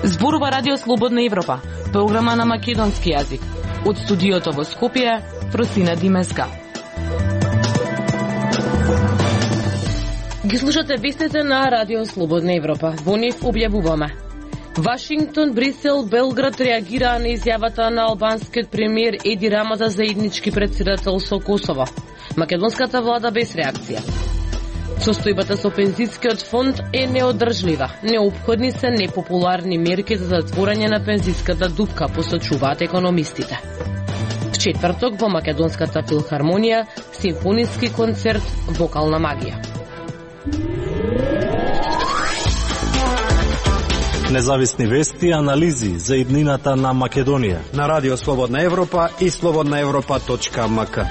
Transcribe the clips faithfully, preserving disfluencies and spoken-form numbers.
Зборува Радио Слободна Европа, програма на македонски јазик. Од студиото во Скопје, Просина Димеска. Ги слушате вестите на Радио Слободна Европа. Во нив објавуваме: Вашингтон, Брисел, Белград реагираа на изјавата на албанскиот премиер Еди Рама за заеднички претседател со Косово. Македонската влада без реакција. Состојбата со пензискиот фонд е неодржлива. Неопходни се непопуларни мерки за затворање на пензиската дупка, посочуваат економистите. В четврток во Македонската филхармонија симфониски концерт Вокална магија. Независни вести и анализи за иднината на Македонија на Радио Слободна Европа и слободна европа точка ем ка.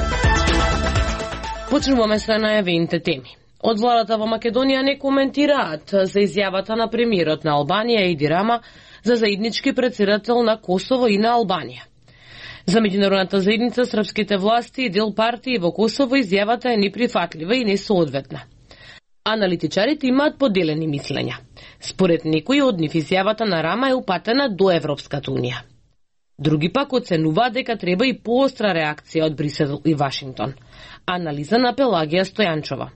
Почнуваме со најавените теми. Од владата во Македонија не коментираат за изјавата на премиерот на Албанија Еди Рама за заеднички претседател на Косово и на Албанија. За меѓународната заедница, српските власти и дел партии во Косово изјавата е неприфатлива и несоодветна. Аналитичарите имаат поделени мислења. Според некои од нив изјавата на Рама е упатена до Европската унија. Други пак оценуваат дека треба и поостра реакција од Брисел и Вашингтон. Анализа на Пелагија Стојанчова.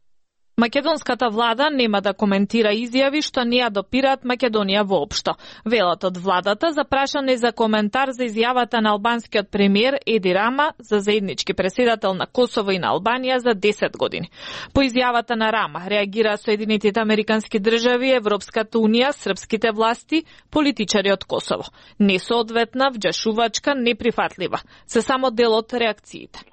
Македонската влада нема да коментира изјави што не ја допираат Македонија воопшто. Велат од владата запрашане за коментар за изјавата на албанскиот премиер Еди Рама за заеднички претседател на Косово и на Албанија за десет години. По изјавата на Рама реагира Соединетите Американски држави, Европската унија, српските власти, политичари од Косово. Несоодветна, вџашувачка, неприфатлива. Се само дел од реакциите.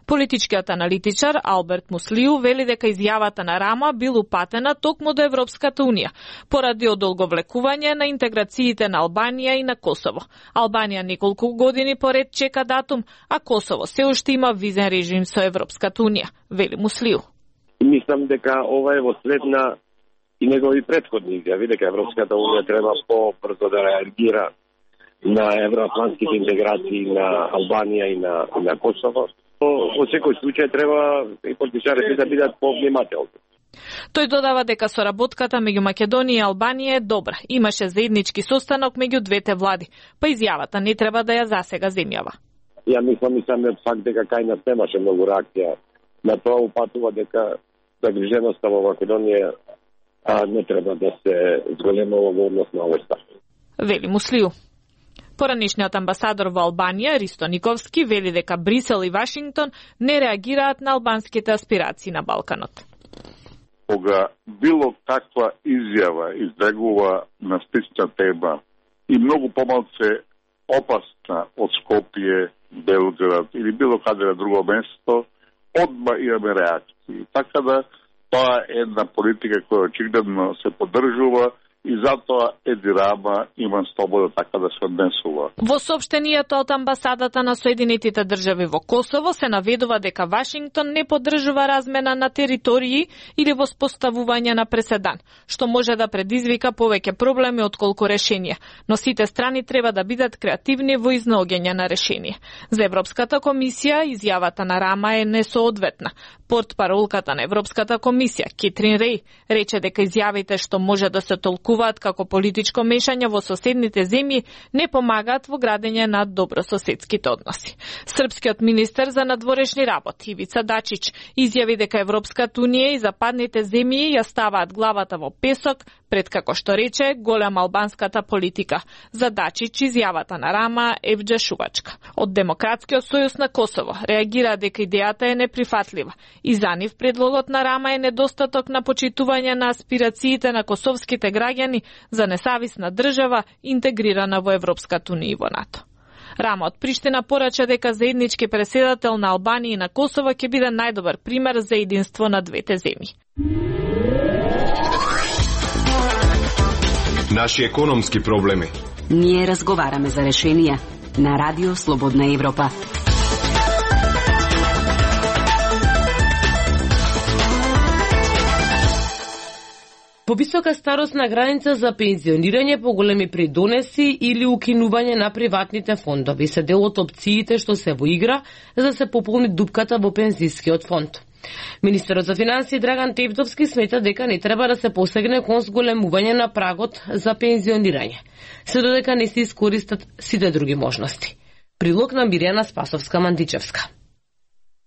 Политичкиот аналитичар Алберт Муслиу вели дека изјавата на Рама бил упатена токму до Европската унија, поради одолговлекување на интеграциите на Албанија и на Косово. Албанија неколку години поред чека датум, а Косово се уште има визен режим со Европската унија, вели Муслиу. Мислам дека ова е во след на и негови претходни изјави дека Европската унија треба побрзо да реагира на евроатлантските интеграции на Албанија и на, и на Косово. Во секој случај треба и политичарите да бидат повнимателни. Тој додава дека соработката меѓу Македонија и Албанија е добра. Имаше заеднички состанок меѓу двете влади, па изјавата не треба да ја засега земјава. Ја мислам и самиот факт дека кај нас немаше многу реакција на тоа упатува дека загриженоста во Македонија а, не треба да се зголемува во однос на овој став. Вели Муслиу. Поранишниот амбасадор во Албанија, Ристо Никовски, вели дека Брисел и Вашингтон не реагираат на албанските аспирации на Балканот. Кога било каква изјава избегува на слична тема и многу помалце опасна од Скопје, Белград или било каде на друго место, одма имаме реакции. Така да тоа е една политика која очигледно се поддржува и затоа Еди Рама има слобода така да се однесува. Во соопштенијето од амбасадата на Соединетите држави во Косово се наведува дека Вашингтон не поддржува размена на територии или воспоставување на преседан, што може да предизвика повеќе проблеми отколку решенија, но сите страни треба да бидат креативни во изнаоѓање на решение. За Европската комисија изјавата на Рама е несоодветна. Портпаролката на Европската комисија, Кетрин Реј, рече дека изјавите што може да се толкуваат како политичко мешање во соседните земји не помагаат во градење на добрососедските односи. Српскиот министер за надворешни работи Ивица Дачич изјави дека Европската унија и западните земји ја ставаат главата во песок пред, како што рече, голема албанската политика. За Дачич изјавата на Рама е вџашувачка. Од Демократскиот сојуз на Косово реагира дека идејата е неприфатлива и за нив предлогот на Рама е недостаток на почитување на аспирациите на косовските граѓани за независна држава интегрирана во Европската унија и во НАТО. Рама од Приштина порача дека заеднички претседател на Албанија и на Косово ќе биде најдобар пример за единство на двете земји. Наши економски проблеми. Ние разговараме за решенија на Радио Слободна Европа. Повисока старосна граница за пензионирање, поголеми придонеси или укинување на приватните фондови се дел од опциите што се во игра за да се пополни дупката во пензискиот фонд. Министерот за финансии Драган Тевтовски смета дека не треба да се посегне кон зголемување на прагот за пензионирање, се додека не се искористат сите други можности. Прилог на Мирјана Спасовска-Мандичевска.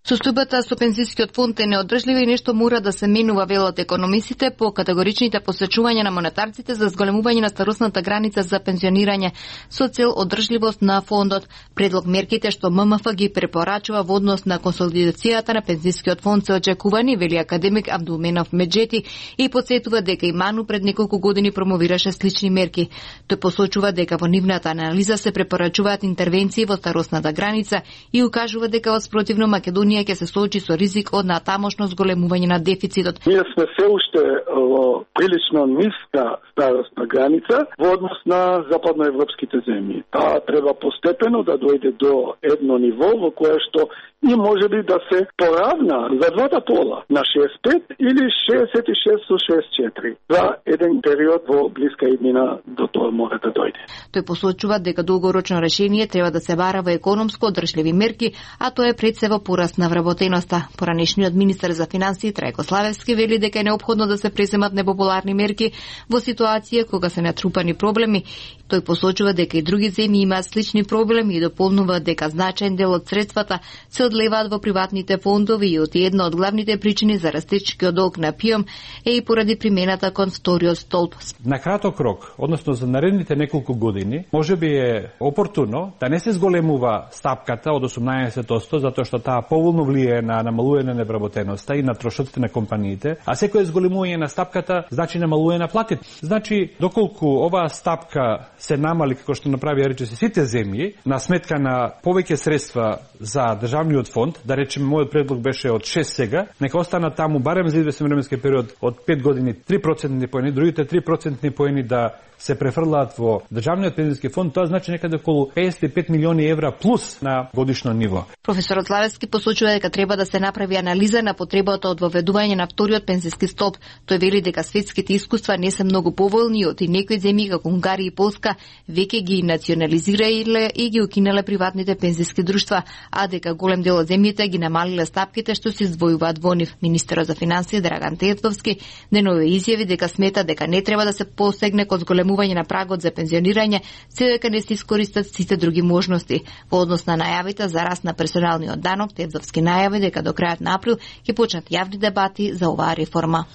Состојбата со пензискиот фонд е неодржлива и нешто мора да се менува, велат економисите по категоричните посечувања на монетарците за зголемување на старосната граница за пензионирање со цел одржливост на фондот. Предлог мерките што М М Ф ги препорачува во однос на консолидацијата на пензискиот фонд се очекувани, вели академик Абдулменов Меджети и потсетува дека и Ману пред неколку години промовираше слични мерки. Тој посочува дека во нивната анализа се препорачуваат интервенции во старосната граница и укажува дека во спротивно Македонија ќе се соочи со ризик од натамошно зголемување на дефицитот. Ние сме се уште во прилично ниска старосна граница во однос на западноевропските земји. Таа треба постепено да дојде до едно ниво во кое што и може би да се поравна за двата пола на шеесет и пет или шеесет и шест со шеесет и четири. За еден период во блиска иднина до тоа може да дојде. Тој посочува дека долгорочно решение треба да се бара во економско одржливи мерки, а тоа е пред се во пораст на вработеноста. Поранешниот министер за финансии Трајко Славевски вели дека е неопходно да се преземат непопуларни мерки во ситуација кога се натрупани проблеми. Тој посочува дека и други земји имаат слични проблеми и дополнува дека значаен дел од средствата се одлеваат во приватните фондови и од една од главните причини за растечкиот долг на ПИОМ е и поради примената кон вториот столб. На краток рок, односно за наредните неколку години, може би е опортуно да не се зголемува стапката од осумнаесет одсто, затоа што таа поволно влијае на намалување на невработеноста и на трошоците на компаниите, а секој зголемување на стапката значи намалување на платите. Значи, доколку оваа стапка се намали, како што направи рече се сите земји, на сметка на повеќе средства за државниот фонд, да речеме мојот предлог беше од шест сега, нека остана таму барем за известен временски период од пет години три процентни поени, другите три процентни поени да се префрлаат во државниот пензиски фонд, тоа значи некаде околу песет и пет милиони евра плюс на годишно ниво. Професорот Славевски посочува дека треба да се направи анализа на потребата од воведување на вториот пензиски столб. Тој вели дека светските искуства не се многу поволни од и некои земји како Унгарија и Полска веќе ги национализираиле и ги укинале приватните пензиски друштва, а дека голем дел од земјите ги намалиле стапките што се издвојуваат во нив. Министерот за финансии Драган Тевтовски денове изјави дека смета дека не треба да се посегне кон зголемување на прагот за пензионирање, се дека не се искористат сите други можности. Во однос на најавите за раст на персоналниот данок, Тевтовски најави дека до крајот на април ќе почнат јавни дебати за оваа реформа.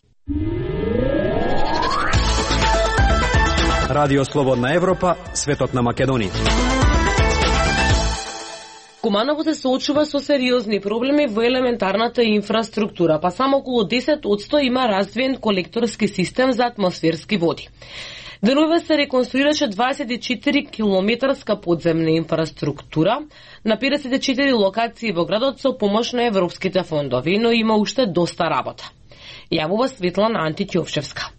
Радио Слободна Европа, светот на Македонија. Куманово се соочува со сериозни проблеми во елементарната инфраструктура, па само околу десет одсто има развиен колекторски систем за атмосферски води. Денове се реконструираше дваесет и четири километарска подземна инфраструктура на педесет и четири локации во градот со помош на европските фондови, но има уште доста работа. Јавува Светлана Антиќовшевска.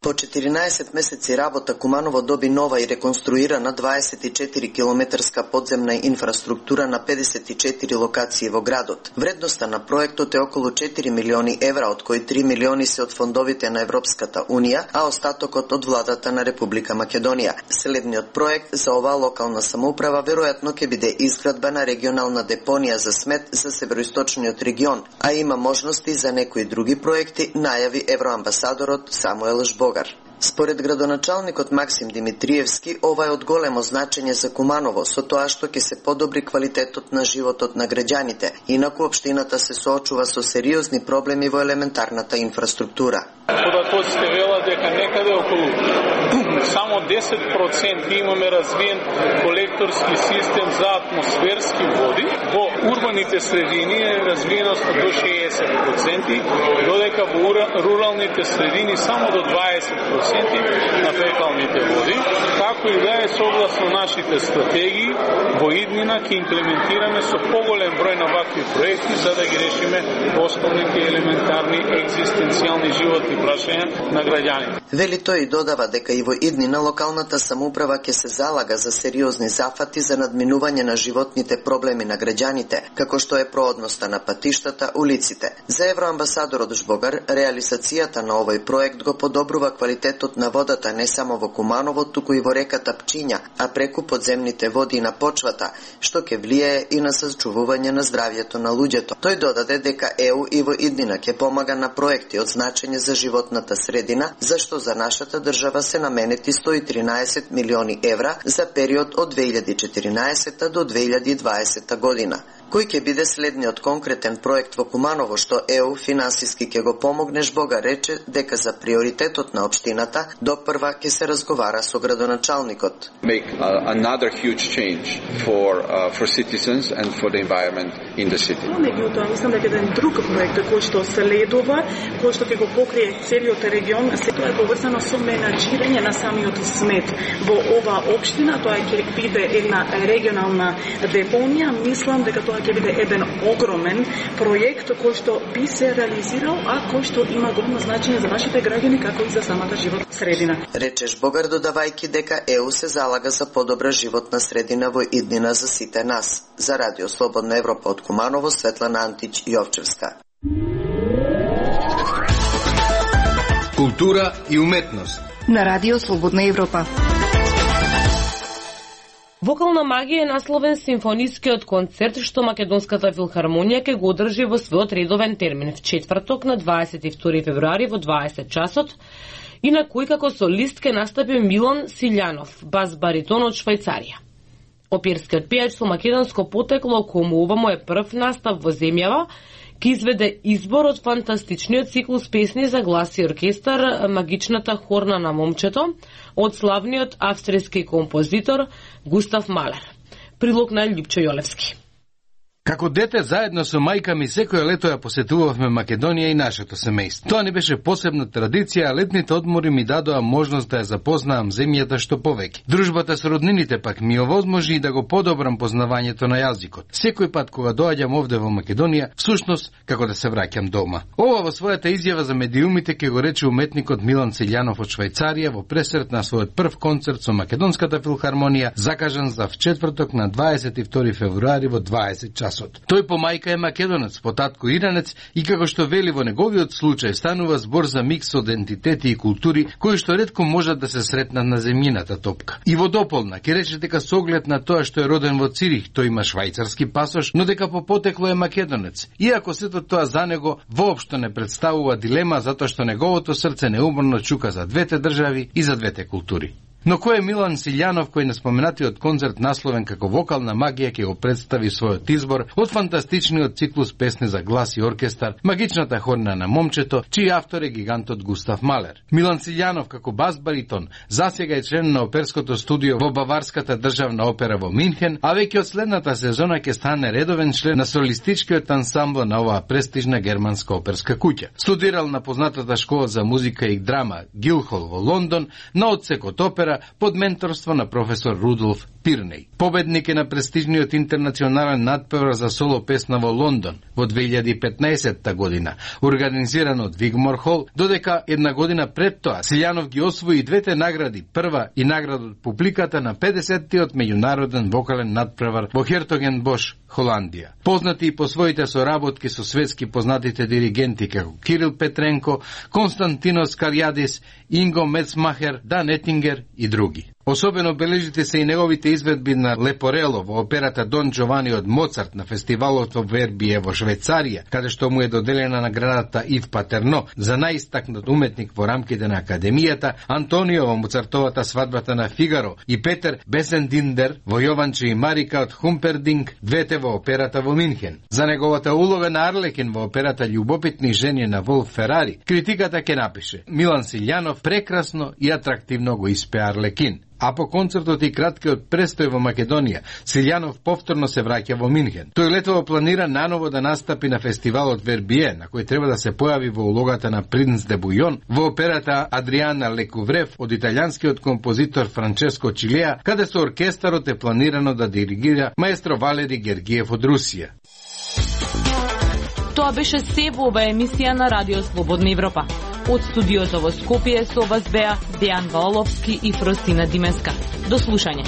По четиринаесет месеци работа Куманово доби нова и реконструирана дваесет и четири километарска подземна инфраструктура на педесет и четири локации во градот. Вредноста на проектот е околу четири милиони евра, од кои три милиони се од фондовите на Европската Унија, а остатокот од владата на Република Македонија. Следниот проект за оваа локална самоуправа веројатно ќе биде изградба на регионална депонија за смет за североисточниот регион, а има можности за некои други проекти, најави евроамбасадорот Самуел Жбогар. Според градоначалникот Максим Димитриевски, ова е од големо значење за Куманово, со тоа што ќе се подобри квалитетот на животот на граѓаните. Инаку општината се соочува со сериозни проблеми во елементарната инфраструктура. Податоците велат дека некаде околу само десет проценти имаме развиен колекторски систем за атмосферски води. Во урбаните средини е развиеноста до шеесет проценти, додека во руралните средини само до дваесет проценти на фекалните води. Како и да е, согласно нашите стратегии, Во иднина ќе имплементираме со поголем број на вакви проекти за да ги решиме основните елементарни екзистенцијални животни прашања на граѓаните. Вели тој додава дека и во иднина локалната самоуправа ќе се залага за сериозни зафати за надминување на животните проблеми на граѓаните, како што е проодноста на патиштата, улиците. За евроамбасадорот Жбогар, реализацијата на овој проект го подобрува квалитетот на водата не само во Куманово, туку и во реката Пчиња, а преку подземните води на почвата, што ќе влијае и на сачувување на здравјето на луѓето. Тој додаде дека Е У и во иднина ќе помага на проекти од значење за животната средина, зашто за нашата држава се наменети сто и тринаесет милиони евра за период од две илјади и четиринаесета до две илјади и дваесета година. Кој ќе биде следниот конкретен проект во Куманово што Е У финансиски ќе го помогне, Жбога рече дека за приоритетот на општината допрва ќе се разговара со градоначалникот. Make uh, another huge change for uh, for citizens and for the environment in the city. Меѓутоа, мислам дека еден друг проект кој што следува, кој што ќе го покрие целиот регион, се тоа е поврзано со менаџирање на самиот смет во оваа општина. Тоа ќе биде една регионална депонија. Мислам дека тоа ќе биде еден огромен проект кој што би се реализирал, а кој што има големо значење за нашите граѓани како и за самата животна средина. Рече Жбогар, додавајќи дека Е У се залага за подобра животна средина во иднина за сите нас. За Радио Слободна Европа од Куманово, Светлана Антич Јовчевска. Култура и уметност на Радио Слободна Европа. Вокална магија е насловен симфонискиот концерт што Македонската филхармонија ќе го одржи во својот редовен термин в четврток на дваесет и втори февруари во дваесет часот, и на кој како солист ќе настапи Милан Силјанов, бас баритон од Швајцарија. Оперскиот пејач со македонско потекло, кому ова му е прв настап во земјава, ќе изведе избор од фантастичниот циклус песни за глас и оркестар Магичната хорна на момчето од славниот австријски композитор Густав Малер. Прилог на Љупчо Јолевски. Како дете, заедно со мајка ми секој лето ја посетувавме Македонија и нашето семејство. Тоа не беше посебна традиција, а летните одмори ми дадоа можност да ја запознаам земјата што повеќе. Дружбата со роднините пак ми овозможи и да го подобрам познавањето на јазикот. Секој пат кога доаѓам овде во Македонија, всушност како да се враќам дома. Ова во својата изјава за медиумите ќе го рече уметникот Милан Силјанов од Швајцарија во пресрет на својот прв концерт со Македонската филхармонија, закажан за вчетврток на дваесет и втори февруари во дваесет часот. Тој по мајка е македонец, по татко иранец и како што вели во неговиот случај станува збор за микс од ентитети и култури кои што ретко можат да се сретнат на земјината топка. И во дополна ќе рече дека со оглед на тоа што е роден во Цирих, тој има швајцарски пасош, но дека по потекло е македонец. Иако сето тоа за него воопшто не представува дилема затоа што неговото срце неуморно чука за двете држави и за двете култури. Но кој е Милан Силјанов, кој на споменатиот концерт насловен како вокална магија ќе го представи својот избор од фантастичниот циклус песни за глас и оркестар Магичната хорна на момчето, чиј автор е гигантот Густав Малер. Милан Силјанов како бас баритон засега е член на оперското студио во Баварската државна опера во Минхен, а веќе од следната сезона ќе стане редовен член на солистичкиот ансамбл на оваа престижна германска оперска куќа. Студирал на познатата школа за музика и драма Гилхол во Лондон, на одсекот опера под менторство на професор Рудолф Пирнеј. Победник е на престижниот интернационален надпревар за соло песна во Лондон во две илјади и петнаесетта година, организиран од Вигмор Хол, додека една година пред тоа Силјанов ги освои двете награди, прва и награда од публиката на педесеттиот меѓународен вокален надпревар во Хертогенбош, Холандија. Познати и по своите соработки со светски познатите диригенти како Кирил Петренко, Константинос Карјадис, Инго Мецмахер, Дан Етингер и други. Особено бележите се и неговите изведби на Лепорело во операта Дон Джовани од Моцарт на фестивалот во Вербие во Швајцарија, каде што му е доделена наградата Ив Патерно за најистакнат уметник во рамките на Академијата, Антонио во Моцартовата свадбата на Фигаро и Петер Бесендиндер во Јованче и Марика од Хумпердинг, двете во операта во Минхен. За неговата улога на Арлекин во операта Љубопитни жени на Волф Ферари, критиката ќе напише: Милан Силјанов прекрасно и атрактивно го испе Арлекин. А по концертот и краткиот престој во Македонија, Силјанов повторно се враќа во Минхен. Тој летово планира наново да настапи на фестивалот Вербие, на кој треба да се појави во улогата на Принц де Бујон во операта Адриана Лекуврев од италијанскиот композитор Франческо Чилеа, каде со оркестарот е планирано да диригира маестро Валери Гергиев од Русија. Тоа беше се во ова емисија на Радио Слободна Европа. Од студиото во Скопје со вас беа Дејан Валовски и Фростина Димеска. До слушање.